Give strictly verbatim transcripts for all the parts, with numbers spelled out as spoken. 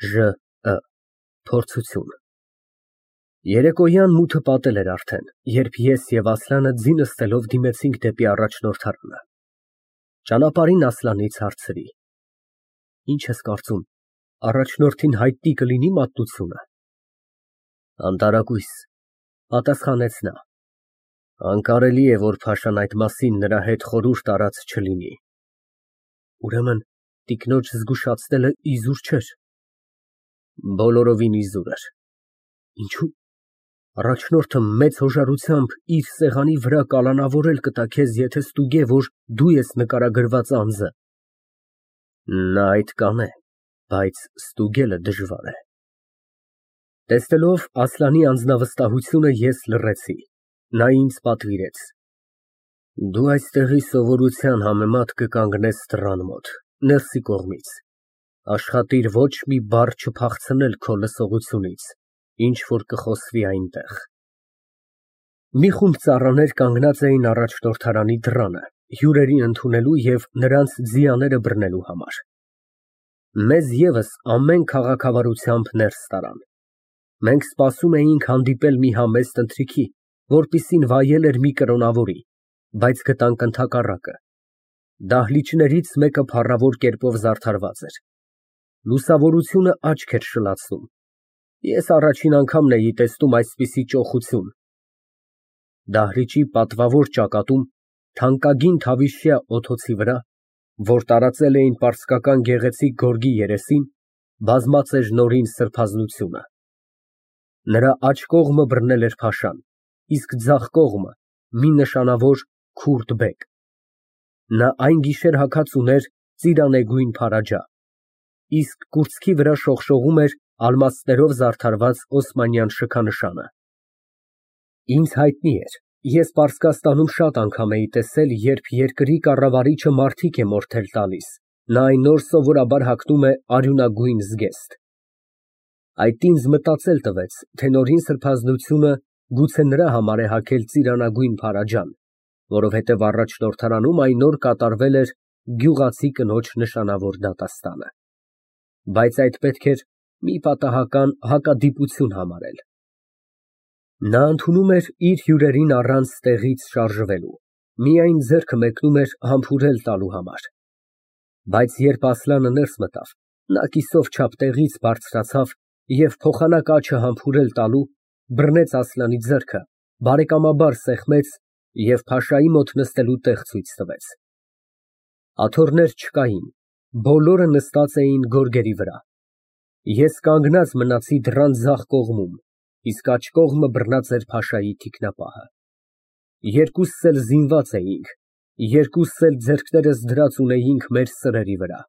Ժ Ը Փորձություն Երեկոյան մութը պատել էր արդեն, երբ ես և Ասլանը ձի նստելով դիմեցինք դեպի առաջնորդարանը։ Ճանապարհին Ասլանից հարցրի. Ինչ ես կարծում, առաջնորդին հայտնի կլինի մատնությունը։ Անտարակույս, պատասխանեց նա։ Անկարելի է, որ փաշան այդ մասին նրա հետ խորհուրդ արած չլինի։ Ուրեմն տիկնոջ զգուշացնելը իզուր չէր։ Բոլորովին իզուր էր։ Ինչո՞ւ։ Առաջնորդը մեծ հոժարությամբ իր սեղանի վրա կալանավորել կտա քեզ, եթե ստուգե, որ դու ես նկարագրված անձը։ Նա այդ կանե, բայց ստուգելը դժվար է։ Տեսնելով Ասլանի անձնավստահությունը, ես լռեցի։ Նա ինձ պատվիրեց. Դու այստեղի սովորության համեմատ կկանգնես դռան մոտ, ներսի կողմից, աշխատիր ոչ մի բառ չփախցնել քո լսողությունից, ինչ որ կխոսվի այնտեղ։ Մի խումբ ծառաներ կանգնած էին առաջնորդարանի դռանը, հյուրերին ընդունելու և նրանց ձիաները բռնելու համար։ Մեզ ևս ամեն քաղաքավարությամբ ներս տարան։ Մենք սպասում էինք հանդիպել մի համեստ ընթրիքի, որպիսին վայել էր մի կրոնավորի, բայց գտանք ընդհակառակը։ Դահլիճներից մեկը փառավոր կերպով զարդարված էր։ Լուսավորությունը աչք էր շլացնում։ Ես առաջին անգամն էի տեսնում այսպիսի ճոխություն։ Դահլիճի պատվավոր ճակատում, թանկագին թավիշյա օթոցի վրա, որ տարածել էին պարսկական գեղեցիկ գորգի երեսին, բազմած էր նորին սրբազնությունը։ Նրա աջ կողմը բռնել էր փաշան, իսկ ձախ կողմը մի նշանավոր քուրդ բեկ։ Նա այն գիշեր հագած ուներ ծիրանեգույն փարաջա, իսկ կուրծքի վրա շողշողում էր ալմաստներով զարդարված օսմանյան շքանշանը։ Ինձ հայտնի էր, ես Պարսկաստանում շատ անգամ էի տեսել, երբ երկրի կառավարիչը մարդիկ է մորթել տալիս, նա այն օր սովորաբար հագնում է արյունագույն զգեստ։ Այդ ինձ մտածել տվեց, թե նորին սրբազնությունը գուցե նրա համար է հագել ծիրանագույն փարաջան, որովհետև առաջնորդարանում այն օր կատարվել էր գյուղացի կնոջ նշանավոր դատաստանը։ Բայց այդ պետք էր մի պատահական հակադիպություն համարել։ Նա ընդունում էր իր հյուրերին առանց տեղից շարժվելու, միայն ձեռքը մեկնում էր համբուրել տալու համար։ Բայց երբ Ասլանը ներս մտավ, նա կիսով չափ տեղից բարձրացավ և փոխանակ աջը համբուրել տալու, բռնեց Ասլանի ձեռքը, բարեկամաբար սեղմեց և փաշայի մոտ նստելու տեղ ցույց տվեց։ Աթոռներ չկային, բոլորը նստած էին գորգերի վրա։ Ես կանգնած մնացի դռան ձախ կողմում, իսկ աջ կողմը բռնած էր փաշայի թիկնապահը։ Երկուսս էլ զինված էինք, երկուսս էլ ձեռքներս դրած ունեինք մեր սրերի վրա։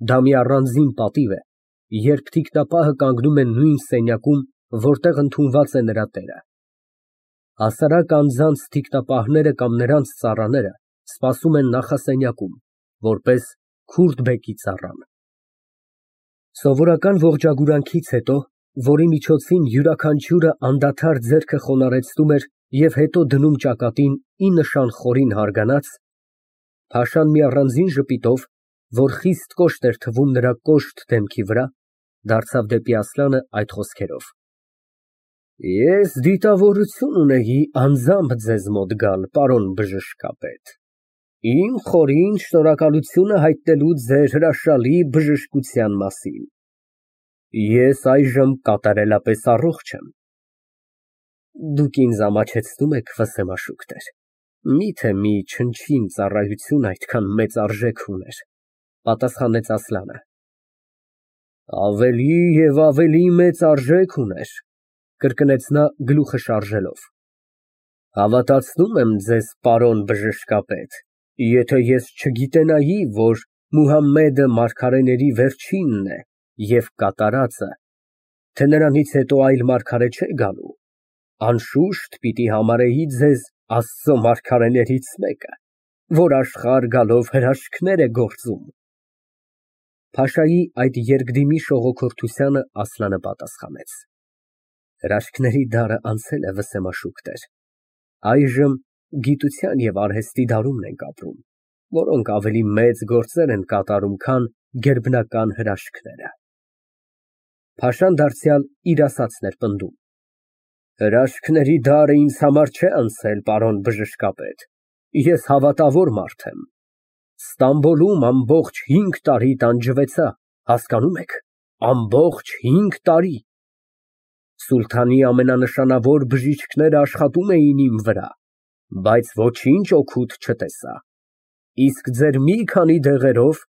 Դա մի առանձին պատիվ է, երբ թիկնապահը կանգնում է նույն սենյակում, որտեղ ընդունված է նրա տերը։ Հասարակ անձանց թիկնապահները կամ նրանց ծառաները սպասում են նախասենյակում, որպես քուրդ բեկի ծառան։ Սովորական ողջագուրանքից հետո, որի միջոցին յուրաքանչյուրը անդադար ձեռքը խոնարհեցնում էր և հետո դնում ճակատին ի նշան խորին հարգանաց, փաշան մի առանձին ժպիտով, որ խիստ կոշտ էր թվում նրա կոշտ դեմքի վրա, դարձավ դեպի Ասլանը այդ խոսքերով. Ես դիտավորություն ունեի անձամբ ձեզ մոտ գալ, պարոն բժշկապետ, իմ խորին շնորհակալությունը հայտնելու ձեր հրաշալի բժշկության մասին։ Ես այժմ կատարելապես առողջ եմ։ Դուք ինձ ամաչեցնում եք, վսեմաշուկներ, միթե մի չնչին ծառայություն այդքան մեծ արժեք ուներ, պատասխանեց Ասլանը։ Ավելի և ավելի մեծ արժեք ուներ, կրկնեց նա գլուխը շարժելով։ Հավատացնում եմ ձեզ, պարոն բժշկապետ, եթե ես չգիտենայի, որ Մուհամմեդը մարգարեների վերջինն է և կատարածը, թե նրանից հետո այլ մարգարե չէ գալու, անշուշտ պիտի համարեի ձեզ Աստծո մարգարեներից մեկը, որ աշխարհ գալով հրաշքներ է գործում։ Փաշայի այդ երկդիմի շողոքորթությանը Ասլանը պատասխանեց. Հրաշքների դարը անցել է, վսեմաշուկներ, այժմ գիտության և արհեստի դարումն ենք ապրում, որոնք ավելի մեծ գործեր են կատարում, քան գերբնական հրաշքները։ Փաշան դարձյալ իր ասածն էր պնդում։ Հրաշքների դարը ինձ համար չէ անցել, պարոն բժշկապետ, ես հավատավոր մարդ եմ։ Ստամբոլում ամբողջ հինգ տարի տանջվեցա, հասկանում եք, ամբողջ հինգ տարի։ Սուլթանի ամենանշանավոր բժիշկները աշխատում էին իմ վրա, բայց ոչինչ օգուտ չտեսա, իսկ ձեր մի քանի դեղերով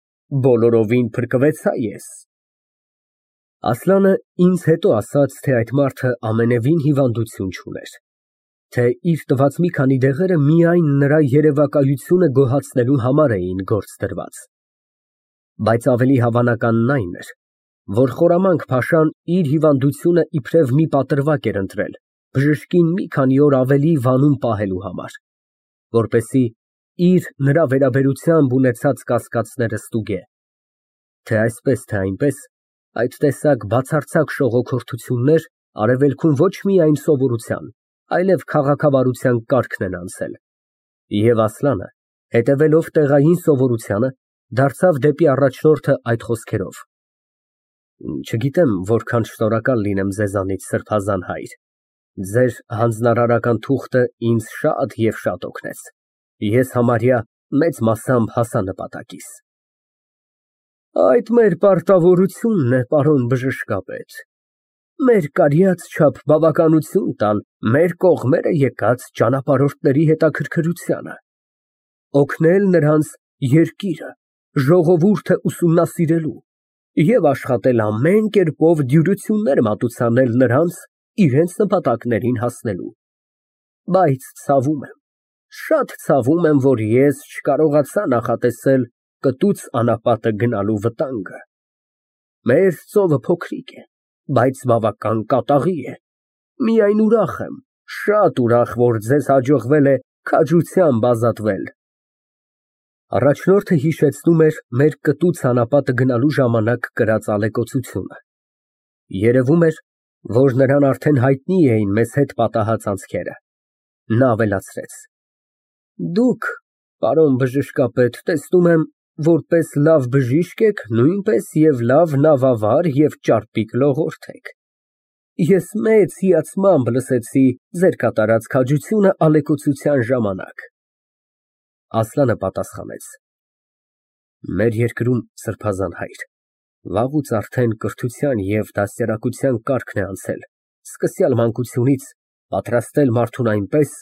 բոլորովին փրկվեցա ես։ Ասլանը ինձ հետո ասաց, թե այդ մարդը ամենևին հիվանդություն չուներ, թե իր տված մի քանի դեղերը միայն նրա երևակայությունը գոհացնելու համար էին գործ դրված։ Բայց ավելի հավանականն այն էր, որ խորամանկ փաշան իր հիվանդությունը իբրև մի պատրվակ էր ընտրել բժշկին մի քանի օր ավելի վանում պահելու համար, որպեսզի իր նրա վերաբերությամբ ունեցած կասկածները ստուգե, թե այսպես, թե այնպես, այդ տեսակ բացարձակ շողոքորթություններ արևելքում ոչ միայն սովորության, այլև քաղաքավարության կարգն են անցել։ Եվ Ասլանը, հետևելով տեղային սովորությանը, դարձավ դեպի առաջնորդը այդ խոսքերով. Չգիտեմ որքան շնորհակալ լինեմ ձեզանից, սրբազան հայր, ձեր հանձնարարական թուղթը ինձ շատ և շատ օգնեց, ես համարյա մեծ մասամբ հասա նպատակիս։ Այդ մեր պարտավորությունն է, պարոն բժշկապետ, մեր կարյաց չափ բավականություն տալ մեր կողմերը եկած ճանապարհորդների հետաքրքրությանը, օգնել նրանց երկիրը, ժողովուրդը ուսումնասիրելու և աշխատել ամեն կերպով դյուրություններ մատուցանել նրանց իրենց նպատակներին հասնելու, բայց ցավում եմ, շատ ցավում եմ, որ ես չկարողացա նախատեսել կտուց անապատը գնալու վտանգը։ Մեր ծովը փոքրիկ է, բայց բավական կատաղի է, միայն ուրախ եմ, շատ ուրախ, որ ձեզ հաջողվել է քաջությամբ ազատվել։ Առաջնորդը հիշեցնում էր մեր կտուց անապատը գնալու ժամանակ կրած ալեկոծությունը։ Երևում էր, որ նրան արդեն հայտնի էին մեզ հետ պատահած անցքերը։ Նա ավելացրեց. Դուք, պարոն բժշկապետ, տեսնում եմ, որպես լավ բժիշկ եք, նույնպես և լավ նավավար և ճարպիկ լողորդ եք։ Ես մեծ հիացմամբ լսեցի ձեր կատարած քաջությունը ալեկոծության ժամանակ։ Ասլանը պատասխանեց. Մեր երկրում, սրբազան հայր, վաղուց արդեն կրթության և դաստիարակության կարգն է անցել, սկսյալ մանկությունից պատրաստել մարդուն այնպես,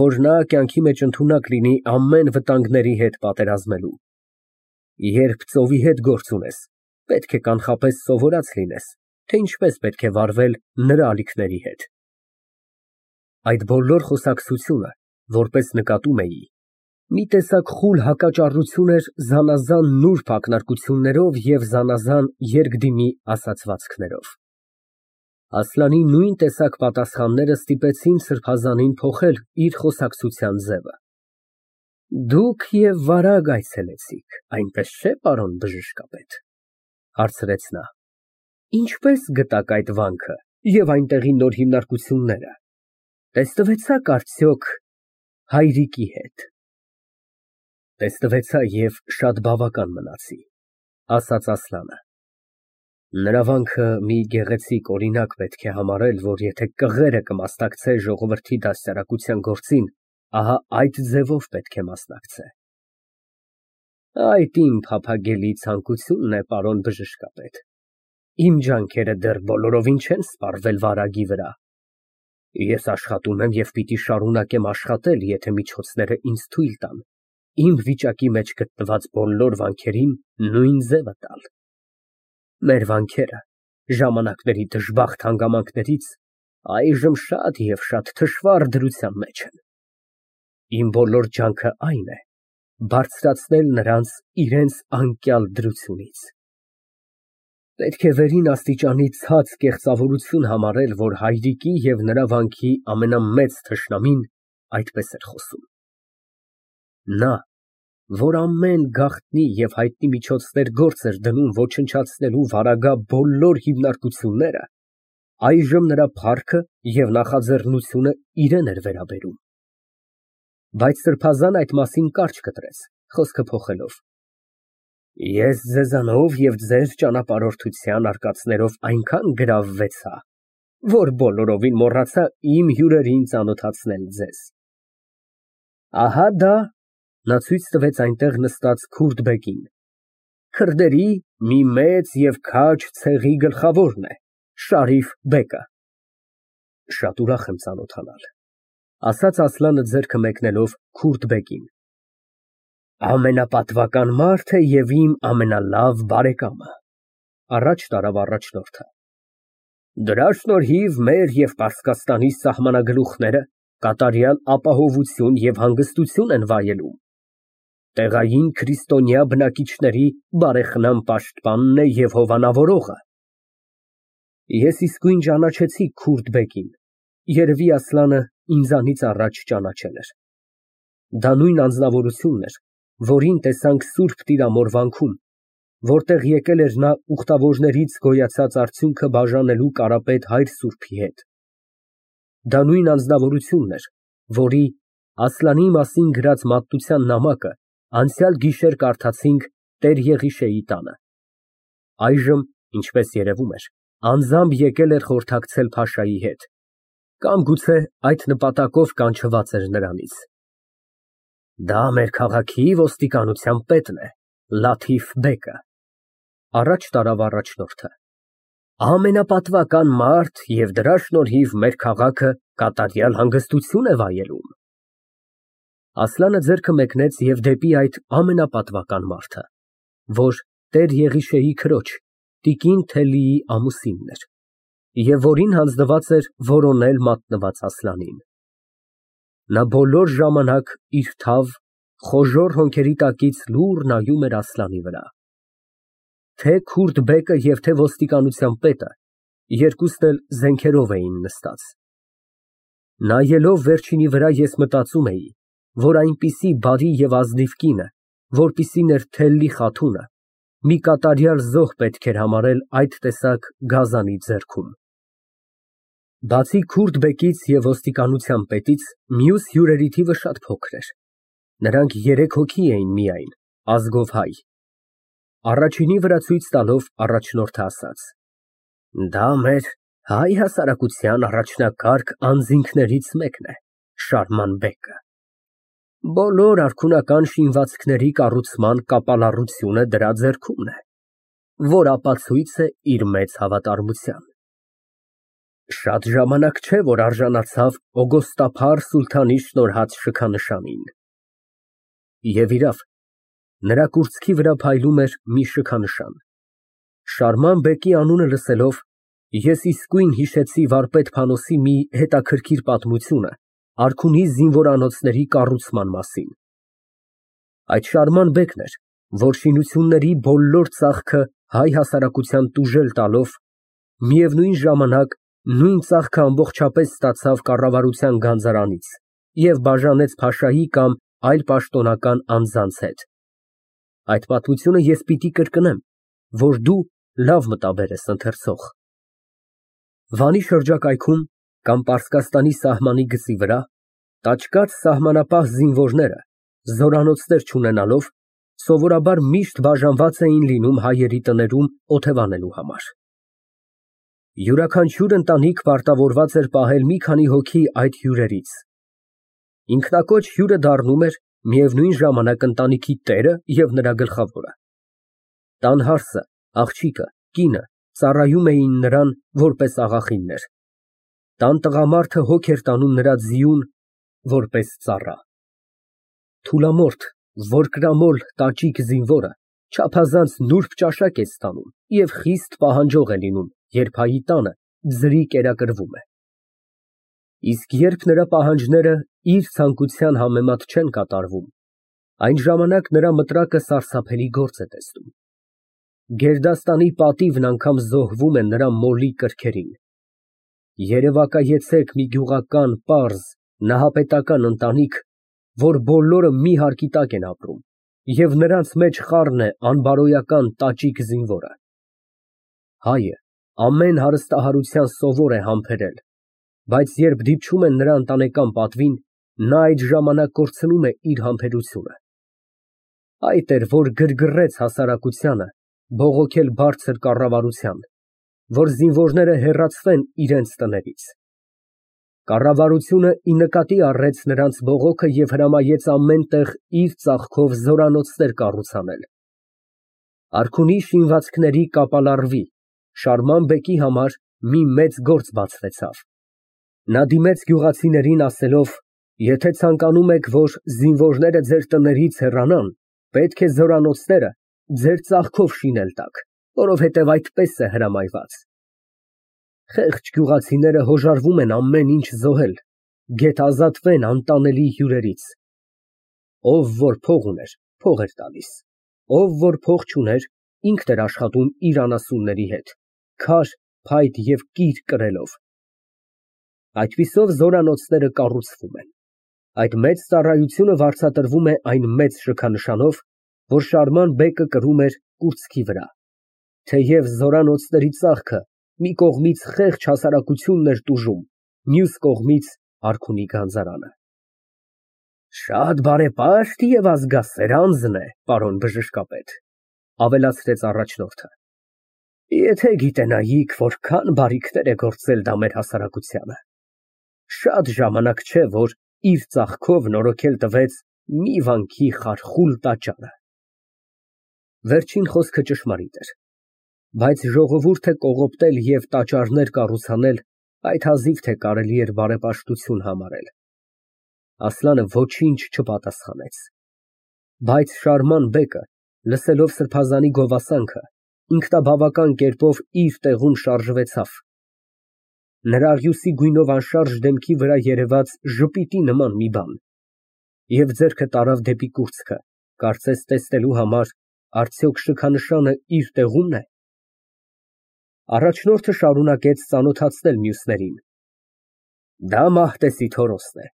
որ նա կյանքի մեջ ընդունակ լինի ամեն վտանգների հետ պատերազմելու։ Երբ ծովի հետ գործ ունես, պետք է կանխապես սովորած լինես, թե ինչպես պետք է վարվել նրա ալիքների հետ։ Այդ բոլոր խոսակցությունը, որպես նկատում էի, մի տեսակ խուլ հակաճառություն էր զանազան նուրբ ակնարկություններով և զանազան երկդիմի ասացվածքներով։ Ասլանի նույն տեսակ պատասխանները ստիպեցին սրբազանին փոխել իր խոսակցության ձևը։ Դուք և վարագ այցելեցիք, այնպես չէ՞, պարոն բժշկապետ, հարցրեց նա։ Ինչպես գտաք այդ վանքը և այնտեղի նոր հիմնարկությունները, տեսնվեցա՞ք արդյոք հայրիկի հետ։ Տեսնվեցա և շատ բավական մնացի, ասաց Ասլանը։ Նրա վանքը մի գեղեցիկ օրինակ պետք է համարել, որ եթե կղերը կմասնակցե ժողովրդի դաստիարակության գործին, ահա այդ ձևով պետք է մասնակցե։ Այդ իմ փափագելի ցանկությունն է, պարոն բժշկապետ, իմ ջանքերը դեռ բոլորովին չեն սպառվել վարագի վրա։ Ես աշխատում եմ և պիտի շարունակեմ աշխատել, եթե միջոցները ինձ թույլ տան, իմ վիճակի մեջ գտնված բոլոր վանքերին նույն ձևը տալ։ Մեր վանքերը ժամանակների դժբախտ հանգամանքներից այժմ շատ և շատ թշվառ դրության մեջ են։ Իմ բոլոր ջանքը այն է բարձրացնել նրանց իրենց անկյալ դրությունից։ Պետք է վերին աստիճանի ցած կեղծավորություն համարել, որ հայրիկի և նրա վանքի ամենամեծ թշնամին այդպես էր խոսում։ Նա, որ ամեն գաղտնի և հայտնի միջոցներ գործ էր դնում ոչնչացնելու վարագա բոլոր հիմնարկությունները, այժմ նրա փառքը և նախաձեռնությունը իրան էր վերաբերում։ Բայց սրբազան այդ մասին կարճ կտրեց, խոսքը փոխելով։ Ես ձեզանով և ձեր ճանապարհորդության արկածներով այնքան գրավվեցա, որ բոլորովին մոռացա իմ հյուրերին ծանոթացնել ձեզ։ Ահա դա (Նա ցույց տվեց այնտեղ նստած քուրդ բեկին) քրդերի մի մեծ և քաջ ցեղի գլխավորն է, Շարիֆ բեկը։ Շատ ուրախ եմ ծանոթանալ, ասաց Ասլանը ձեռքը մեկնելով քուրդ֊բեկին։ Ամենապատվական մարդը և իմ ամենալավ բարեկամը, առաջ տարավ առաջնորդը։ Դրա շնորհիվ մեր և Պարսկաստանի սահմանագլուխները կատարյալ ապահովություն և հանգստություն են վայելում։ Տեղային քրիստոնյա բնակիչների բարեխնամ պաշտպանն է և հովանավորողը։ Ես իսկույն ճանաչեցի քուրդ֊բեկին, երևի Ասլանը ինձանից առաջ ճանաչել էր։ Դա նույն անձնավորությունն էր, որին տեսանք Սուրբ Տիրամոր վանքում, որտեղ եկել էր նա ուխտավորներից գոյացած արդյունքը բաժանելու Կարապետ հայր սուրբի հետ։ Դա նույն անձնավորությունն էր, որի Ասլանի մասին գրած մատնության նամակը անցյալ գիշեր կարդացինք տեր֊Եղիշեի տանը։ Այժմ, ինչպես երևում էր, անձամբ եկել էր խորհրդակցել փաշայի հետ, կամ գուցե այդ նպատակով կանչված էր նրանից։ Դա մեր քաղաքի ոստիկանության պետն է, Լաթիֆ բեկը, առաջ տարավ առաջնորդը, ամենապատվական մարդ և դրա շնորհիվ մեր քաղաքը կատարյալ հանգստություն է վայելում։ Ասլանը ձեռքը մեկնեց և դեպի այդ ամենապատվական մարդը, որ տեր֊Եղիշեի քրոջ տիկին Թելիի ամուսինն էր, և որին հանձնված էր որոնել մատնված Ասլանին։ Նա բոլոր ժամանակ իր թավ, խոժոռ հոնքերի տակից լուռ նայում էր Ասլանի վրա։ Թե քուրդ֊բեկը և թե ոստիկանության պետը երկուսն էլ զենքերով էին նստած։ Նայելով վերջինի վրա, ես մտածում էի, որ այնպիսի բարի և ազնիվ կինը, որպիսին էր Թելլի խաթունը, մի կատարյալ զոհ պետք էր համարել այդ տեսակ գազանի ձեռքում։ Բացի քուրդ֊բեկից և ոստիկանության պետից, մյուս հյուրերի թիվը շատ փոքր էր։ Նրանք երեք հոգի էին միայն, ազգով հայ։ Առաջինի վրա ցույց տալով, առաջնորդը ասաց. Դա մեր հայ հասարակության առաջնակարգ անձինքներից մեկն է, Շարման բեկը։ Բոլոր արքունական շինվածքների կառուցման կապալառությունը դրա ձեռքումն է, որ ապացույց է իր մեծ հավատարմության։ Շատ ժամանակ չէ, որ արժանացավ Օգոստափար սուլթանի շնորհած շքանշանին։ Եվ իրավ, նրա կուրծքի վրա փայլում էր մի շքանշան։ Շարման բեկի անունը լսելով, ես իսկույն հիշեցի վարպետ Փանոսի մի հետաքրքիր պատմությունը արքունի զինվորանոցների կառուցման մասին։ Այդ Շարման բեկն էր, որ շինությունների բոլոր ծախքը հայ հասարակության տուժել տալով, միևնույն ժամանակ նույն ծախքը ամբողջապես ստացավ կառավարության գանձարանից և բաժանեց փաշայի կամ այլ պաշտոնական անձանց հետ։ Այդ պատմությունը ես պիտի կրկնեմ, որ դու լավ մտաբեր ես ընթերցող։ Վանի շրջակայքում կամ Պարսկաստանի սահմանի գծի վրա տաճկաց սահմանապահ զինվորները, զորանոցներ չունենալով, սովորաբար միշտ բաժանված էին լինում հայերի տներում օթևանելու համար։ Յուրաքանչյուր ընտանիք պարտավորված էր պահել մի քանի հոգի այդ հյուրերից։ Ինքնակոչ հյուրը դառնում էր միևնույն ժամանակ ընտանիքի տերը և նրա գլխավորը։ Տան հարսը, աղջիկը, կինը ծառայում էին նրան որպես աղախիններ։ Տան տղամարդը հոգ էր տանում նրա ձիուն որպես ծառա։ Թուլամորթ, որկրամոլ տաճիկ զինվորը չափազանց նուրբ ճաշակ է ստանում և խիստ պահանջող է լինում, երբ հայի տանը ձրի կերակրվում է։ Իսկ երբ նրա պահանջները իր ցանկության համեմատ չեն կատարվում, այն ժամանակ նրա մտրակը սարսափելի գործ է տեսնում։ Գերդաստանի պատիվն անգամ զոհվում է նրա մոլի կրքերին։ Երևակայեցեք մի գյուղական, պարզ, նահապետական ընտանիք, որ բոլորը մի հարկի տակ են ապրում, և նրանց մեջ խառն է անբարոյական տաճիկ զինվորը։ Հայը ամեն հարստահարության սովոր է համբերել, բայց երբ դիպչում են նրա ընտանեկան պատվին, նա այդ ժամանակ կորցնում է իր համբերությունը։ Այդ էր, որ գրգռեց հասարակությանը, բողոքել բարձր կառավարության, որ զինվորները հեռացվեն իրենց տներից։ Կառավարությունը ի նկատի առեց նրանց բողոքը և հրամայեց ամեն տեղ իր ծախքով զորանոցներ կառուցանել։ Արքունի շինվածքների կապալառվի Շարման բեկի համար մի մեծ գործ բացվեցավ։ Նա դիմեց գյուղացիներին ասելով. «Եթե ցանկանում եք, որ զինվորները ձեր տներից հեռանան, պետք է զորանոցները ձեր ծախքով շինել տաք, որովհետև այդպես է հրամայված»։ Խեղճ գյուղացիները հոժարվում են ամեն ինչ զոհել, գետազատվեն անտանելի հյուրերից։ Ով որ փող ուներ, փող էր տալիս, ով որ փող չուներ, ինքն էր աշխատում իր անասունների հետ, քար, փայտ և կիր կրելով։ Այդպիսով զորանոցները կառուցվում են։ Այդ մեծ ծառայությունը վարձատրվում է այն մեծ շքանշանով, որ Շարման բեկը կրում էր կուրծքի վրա, թեև զորանոցների ծախքը մի կողմից խեղճ հասարակությունն էր տուժում, մյուս կողմից արքունի գանձարանը։ Շատ բարեպաշտ և ազգասեր անձն է, պարոն բժշկապետ, ավելացրեց առաջնորդը։ Եթե գիտենայիք, որքան բարիքներ է գործել դա մեր հասարակությանը։ Շատ ժամանակ չէ, որ իր ծախքով նորոգել տվեց մի վանքի խարխուլ տաճարը։ Վերջին խոսքը ճշմարիտ էր, բայց ժողովուրդը կողոպտել և տաճարներ կառուցանել այդ հազիվ թե կարելի էր բարեպաշտություն համարել։ Ասլանը ոչինչ չպատասխանեց։ Բայց Շարման բեկը, լսելով սրբազանի գովասանքը, ինքնաբավական կերպով իր տեղում շարժվեցավ։ Նրա աղյուսի գույնով անշարժ դեմքի վրա երևաց ժպիտի նման մի բան և ձեռքը տարավ դեպի կուրծքը, կարծես տեսնելու համար, արդյոք շքանշանը իր տեղումն է։ Առաջնորդը շարունակեց ծանոթացնել մյուսներին։ Դա Մահտեսի Թորոսն է,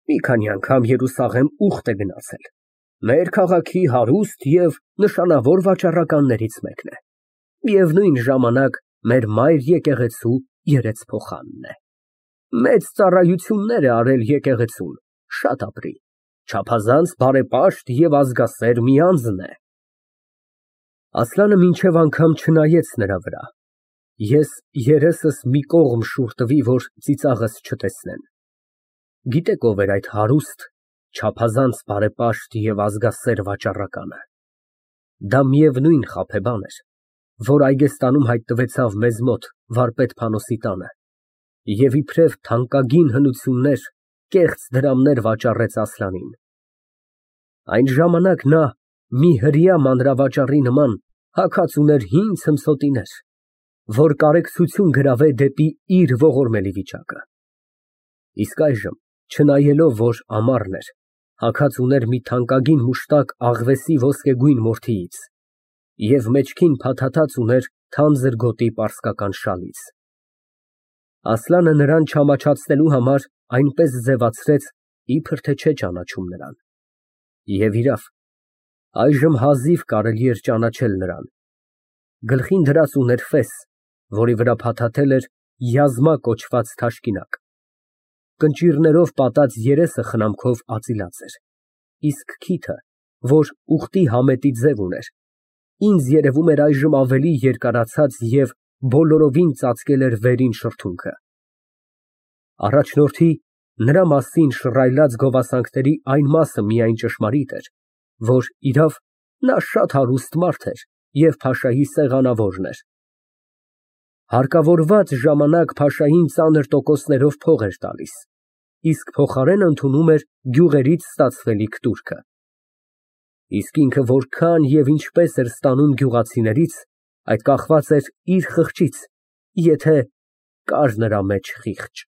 մի քանի անգամ Երուսաղեմ ուխտ է գնացել, մեր քաղաքի հարուստ և նշանավոր վաճառականներից մեկն է, միևնույն ժամանակ մեր մայր եկեղեցու երեցփոխանն է, մեծ ծառայություններ է արել եկեղեցուն, շատ ապրի, չափազանց բարեպաշտ և ազգասեր մի անձն է։ Ասլանը մինչև անգամ չնայեց նրա վրա, ես երեսս մի կողմ շուռ տվի, որ ծիծաղս չտեսնեն։ Գիտեք ով էր այդ հարուստ, չափազանց բարեպաշտ և ազգասեր վաճառականը։ Դա միևնույն խաբեբան էր, որ Այգեստանում հայտնվեցավ մեզ մոտ վարպետ Փանոսի տանը և իբրև թանկագին հնություններ, կեղծ դրամներ վաճառեց Ասլանին։ Այն ժամանակ նա մի հրեա մանրավաճառի նման հագած ուներ հին ցմսոտիներ, որ կարեկցություն գրավե դեպի իր ողորմելի վիճակը։ Իսկ այժմ, չնայելով որ ամառն էր, հագած ուներ մի թանկագին մուշտակ աղվեսի ոսկեգույն մորթիից և մեջքին փաթաթած ուներ թանձր գոտի պարսկական շալից։ Ասլանը նրան չամաչացնելու համար այնպես ձևացրեց, իբր թե չէ ճանաչում նրան։ Եվ իրավ, այժմ հազիվ կարելի էր ճանաչել նրան։ Գլխին դրած ուներ ֆես, որի վրա փաթաթել էր յազմա կոչված թաշկինակ։ Կնճիռներով պատած երեսը խնամքով ածիլած էր, իսկ քիթը, որ ուխտի համետի ձև ուներ, ինձ երևում էր այժմ ավելի երկարացած և բոլորովին ծածկել էր վերին շրթունքը։ Առաջնորդի նրա մասին շռայլած գովասանքների այն մասը միայն ճշմարիտ էր, որ, իրավ, նա շատ հարուստ մարդ էր և փաշայի սեղանավորն էր։ Հարկավորված ժամանակ փաշային ծանր տոկոսներով փող էր տալիս, իսկ փոխարեն ընդունում էր գյուղերից ստացվելիք տուրքը։ Իսկ ինքը որքան և ինչպես էր ստանում գյուղացիներից, այդ կախված էր իր խղճից, եթե կար նրա մեջ խիղճ։